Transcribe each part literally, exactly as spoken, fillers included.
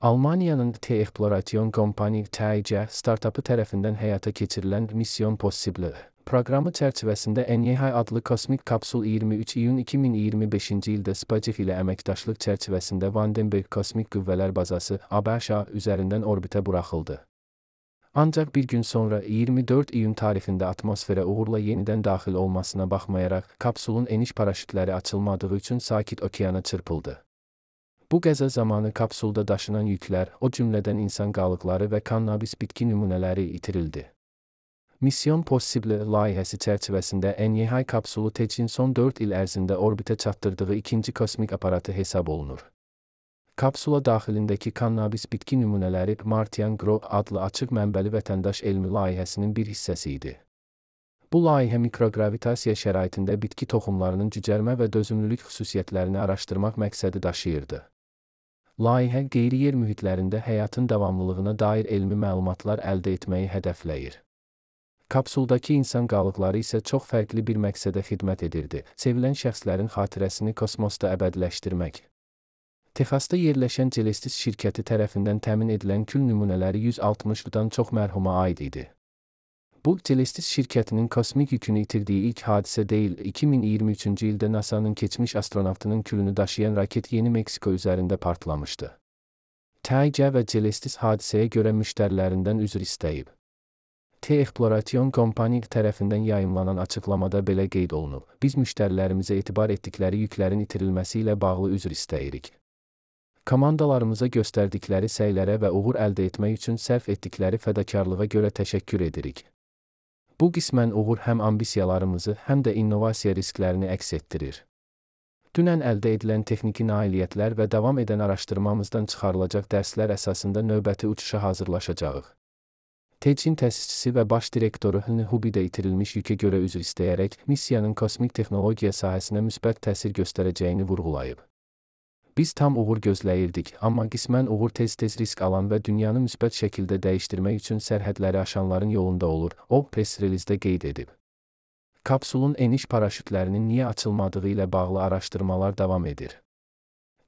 Almaniyanın T-Exploration Company T E C startapı tərəfindən həyata keçirilən Mission Possible proqramı çərçivəsində N Y H adlı kosmik kapsul iyirmi üç iyun iki min iyirmi beşinci ildə SpaceX ilə əməkdaşlıq çərçivəsində Vandenberg Kosmik Qüvvələr Bazası A B Ş üzərindən orbitə buraxıldı. Ancaq bir gün sonra iyirmi dörd iyun tarixində atmosferə uğurla yenidən daxil olmasına baxmayaraq, kapsulun eniş paraşütləri açılmadığı üçün Sakit Okeana çırpıldı. Bu qəza zamanı kapsulda daşınan yüklər, o cümlədən insan qalıqları və kannabis bitki nümunələri itirildi. Mission Possible layihəsi çərçivəsində N Y H kapsulu T E C-in son dörd il ərzində orbitə çatdırdığı ikinci kosmik aparatı hesab olunur. Kapsula daxilindəki kannabis bitki nümunələri Martian Grow adlı açıq mənbəli vətəndaş elmi layihəsinin bir hissəsi idi. Bu layihə mikrogravitasiya şəraitində bitki toxumlarının cücərmə və dözümlülük xüsusiyyətlərini araşdırmaq məqsədi daşıyırdı. Layihə qeyri-yer mühitlərində həyatın davamlılığına dair elmi məlumatlar əldə etməyi hədəfləyir. Kapsuldakı insan qalıqları isə çox fərqli bir məqsədə xidmət edirdi: sevilən şəxslərin xatirəsini kosmosda əbədiləşdirmək. Texasda yerləşən Celestis şirkəti tərəfindən təmin edilən kül nümunələri yüz altmışdan çox mərhuma aid idi. Bu, Celestis şirkətinin kosmik yükünü itirdiyi ilk hadisə deyil, iki min iyirmi üçüncü ildə NASA'nın keçmiş astronavtının külünü daşıyan raket Yeni Meksiko üzərində partlamışdı. T E C və Celestis hadisəyə görə müştərilərindən üzr istəyib. T-Exploration Company tərəfindən yayımlanan açıqlamada belə qeyd olunub: "Biz müştərilərimizə etibar etdikləri yüklərin itirilməsi ilə bağlı üzr istəyirik. Komandalarımıza göstərdikləri səylərə və uğur əldə etmək üçün sərf etdikləri fədakarlığa görə təşəkkür edirik." Bu qismən uğur həm ambisiyalarımızı, həm də innovasiya risklərini əks etdirir. Dünən əldə edilən texniki nailiyyətlər və davam edən araşdırmamızdan çıxarılacaq dərslər əsasında növbəti uçuşa hazırlaşacağıq. T E C-in təsisçisi və baş direktoru Hn Hubidə itirilmiş yükə görə üzr istəyərək, missiyanın kosmik texnologiya sahəsinə müsbət təsir göstərəcəyini vurğulayıb. Biz tam uğur gözləyirdik, amma qismən uğur tez-tez risk alan və dünyanı müsbət şəkildə dəyişdirmək üçün sərhədləri aşanların yolunda olur, o press relizdə qeyd edib. Kapsulun eniş paraşütlərinin niyə açılmadığı ilə bağlı araşdırmalar davam edir.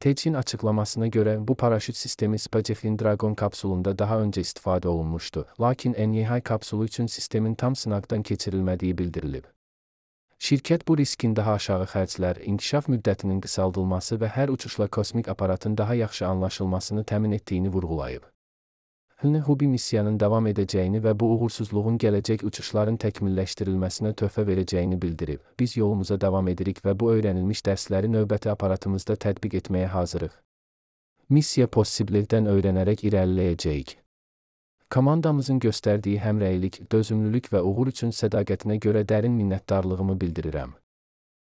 T E C-in açıqlamasına görə bu paraşüt sistemi SpaceX-in Dragon kapsulunda daha öncə istifadə olunmuşdu, lakin N Y H kapsulu üçün sistemin tam sınaqdan keçirilmədiyi bildirilib. Şirkət bu riskin daha aşağı xərclər, inkişaf müddətinin qısaldılması və hər uçuşla kosmik aparatın daha yaxşı anlaşılmasını təmin etdiyini vurğulayıb. Hn Hubi missiyanın davam edəcəyini və bu uğursuzluğun gələcək uçuşların təkmilləşdirilməsinə töhfə verəcəyini bildirib. Biz yolumuza davam edirik və bu öyrənilmiş dərsləri növbəti aparatımızda tətbiq etməyə hazırıq. Mission Possible-dən öyrənərək irəliləyəcəyik. Komandamızın göstərdiyi həmrəylik, dözümlülük və uğur üçün sədaqətinə görə dərin minnətdarlığımı bildirirəm.